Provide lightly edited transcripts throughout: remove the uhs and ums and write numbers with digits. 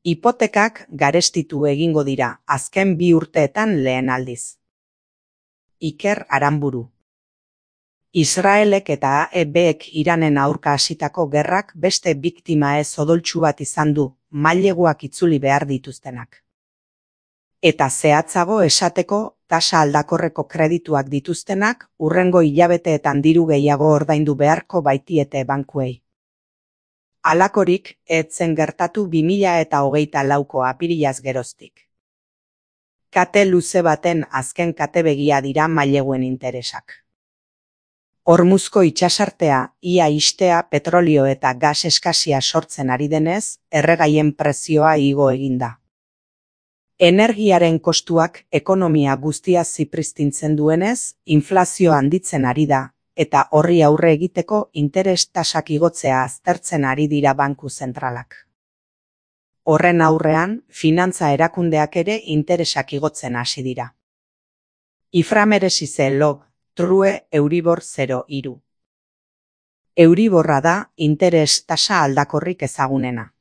Hipotekak garestitu egingo dira azken 2 urteetan lehen aldiz. Iker Aranburu. Israelek eta AEBek Iranen aurka hasitako gerrak beste biktima ez odoltsu bat izan du, maileguak itzuli behar dituztenak. Eta zehatzago esateko, tasa aldakorreko kredituak dituztenak, hurrengo hilabeteetan diru gehiago ordaindu beharko baitiete bankuei. Halakorik, ez zen gertatu 2024ko apirilaz geroztik. Kate luze baten azken katebegia dira maileguen interesak. Hormuzko itsasartea, ia ixtea petrolio eta gas eskasia sortzen ari denez, erregaien prezioa igo eginda. Energiaren kostuak ekonomia guztia zipristintzen duenez, inflazio handitzen ari da, eta horri aurre egiteko interes tasak igotzea aztertzen ari dira banku zentralak. Horren aurrean, finantza erakundeak ere interesak igotzen hasi dira. Iframeresize log, true Euribor 0,3. Euriborra da interes tasa aldakorrik ezagunena.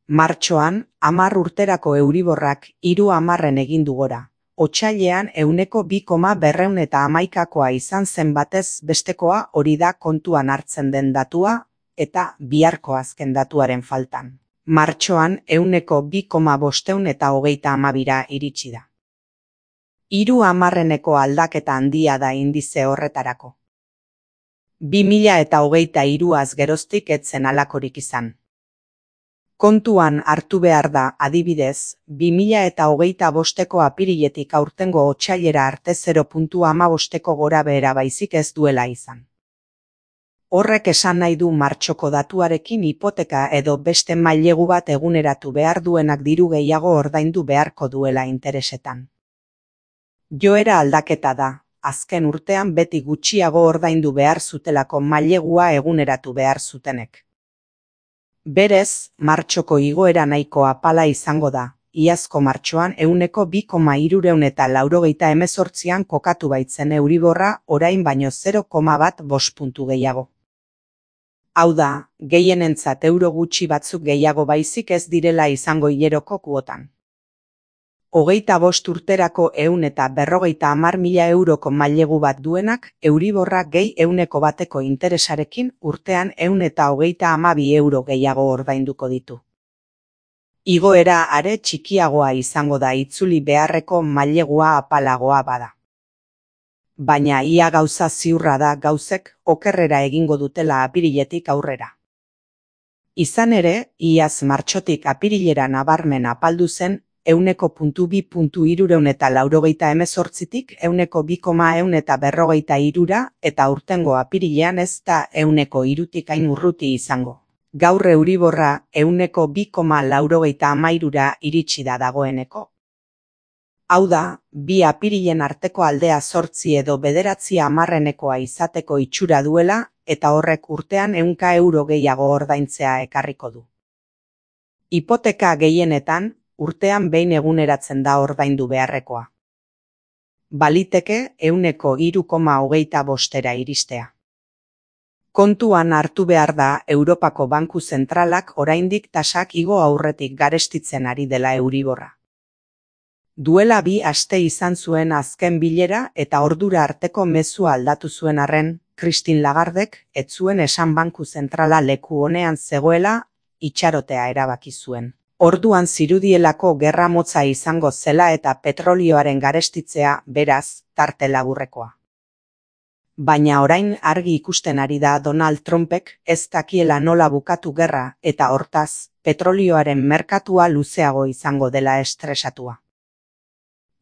Martxoan, 10 urterako Euriborrak 3,10 egin du gora. Otsailean 2,211koa izan zen batez bestekoa hori da kontuan hartzen den datua eta biharko azken datuaren faltan. Martxoan 2,532 iritsi da. 3,10ko aldaketa handia da indize horretarako. 2023az geroztik ez zen halakorik izan. Kontuan hartu behar da, adibidez, 2025ko apiriletik aurtengo otsailera arte 0,15ko gorabehera baizik ez duela izan. Horrek esan nahi du martxoko datuarekin hipoteka edo beste mailegu bat eguneratu behar duenak diru gehiago ordaindu beharko duela interesetan. Joera aldaketa da, azken urtean beti gutxiago ordaindu behar zutelako mailegua eguneratu behar zutenek. Berez, martxoko igoera nahiko apala izango da, iazko martxoan 2,288an kokatu baitzen Euriborra orain baino 0,15 puntu gehiago. Hau da, gehienentzat euro gutxi batzuk gehiago baizik ez direla izango hileroko kuotan. 25 urterako 150.000 euroko mailegu bat duenak, Euriborra gehi 100%ko interesarekin urtean 132 euro gehiago ordainduko ditu. Igoera are txikiagoa izango da itzuli beharreko mailegua apalagoa bada. Baina ia gauza ziurra da gauzek okerrera egingo dutela apiriletik aurrera. Izan ere, iaz martxotik apirilera nabarmen apaldu zen, 1,2,388tik 2,153 eta urtengo apirilean ez da 1,3tik hain urruti izango. Gaur Euriborra 2,93 iritsi da dagoeneko. Hau da, 2 apirilen arteko aldea 8 edo 9 izateko itxura duela eta horrek urtean 100 euro gehiago ordaintzea ekarriko du. Hipoteka gehienetan, urtean behin eguneratzen da ordaindu beharrekoa. Baliteke 3,25era iristea. Kontuan hartu behar da Europako Banku Zentralak oraindik tasak igo aurretik garestitzen ari dela Euriborra. Duela 2 aste izan zuen azken bilera eta ordura arteko mezua aldatu zuen arren, Christine Lagardek ez zuen esan Banku Zentrala leku honean zegoela itxarotea erabaki zuen. Orduan zirudielako gerra motza izango zela eta petrolioaren garestitzea, beraz, tarte laburrekoa. Baina orain argi ikusten ari da Donald Trumpek ez dakiela nola bukatu gerra eta hortaz, petrolioaren merkatua luzeago izango dela estresatua.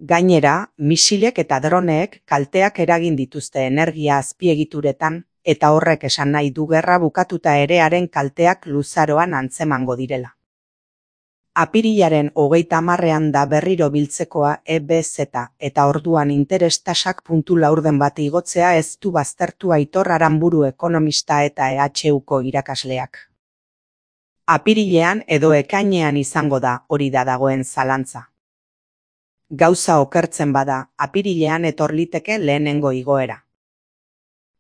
Gainera, misilek eta droneek kalteak eragin dituzte energia azpiegituretan eta horrek esan nahi du gerra bukatuta ere haren kalteak luzaroan antzemango direla. Apirilaren 30ean da berriro biltzekoa EBZ eta orduan interes tasak puntu laurden bat igotzea ez du baztertu Aitor Aranburu ekonomista eta EHUko irakasleak. Apirilean edo ekainean izango da hori da dagoen zalantza. Gauza okertzen bada, apirilean etor liteke lehenengo igoera.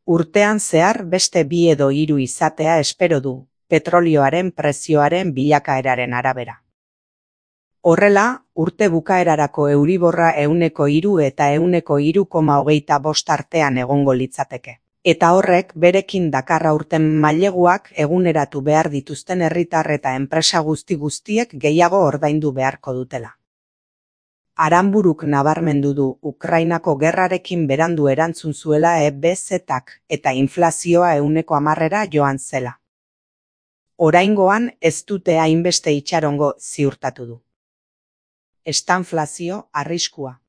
Urtean zehar beste 2 edo 3 izatea espero du, petrolioaren prezioaren bilakaeraren arabera. Horrela, urte bukaerarako euriborra 3 eta 3,25 artean egongo litzateke. Eta horrek berekin dakar aurten maileguak eguneratu behar dituzten herritar eta enpresa guztiek gehiago ordaindu beharko dutela. Aranburuk nabarmendu du Ukrainako gerrarekin berandu erantzun zuela EBZ-ak eta inflazioa 10%ra joan zela. Oraingoan ez dute hainbeste itxarongo ziurtatu du. Estanflazio arriskua.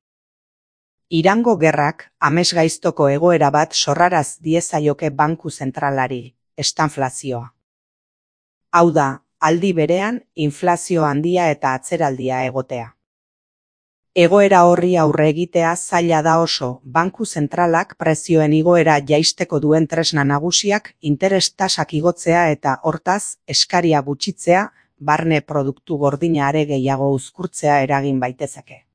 Irango gerrak amesgaiztoko egoera bat sorraraz diezaioke banku zentralari, estanflazioa. Hau da, aldi berean, inflazio handia eta atzeraldia egotea. Egoera horri aurre egitea zaila da oso, banku zentralak prezioen igoera jaisteko duen tresna nagusiak interes tasak igotzea eta hortaz eskaria gutxitzea, barne produktu gordina are gehiago uzkurtzea eragin baitezake.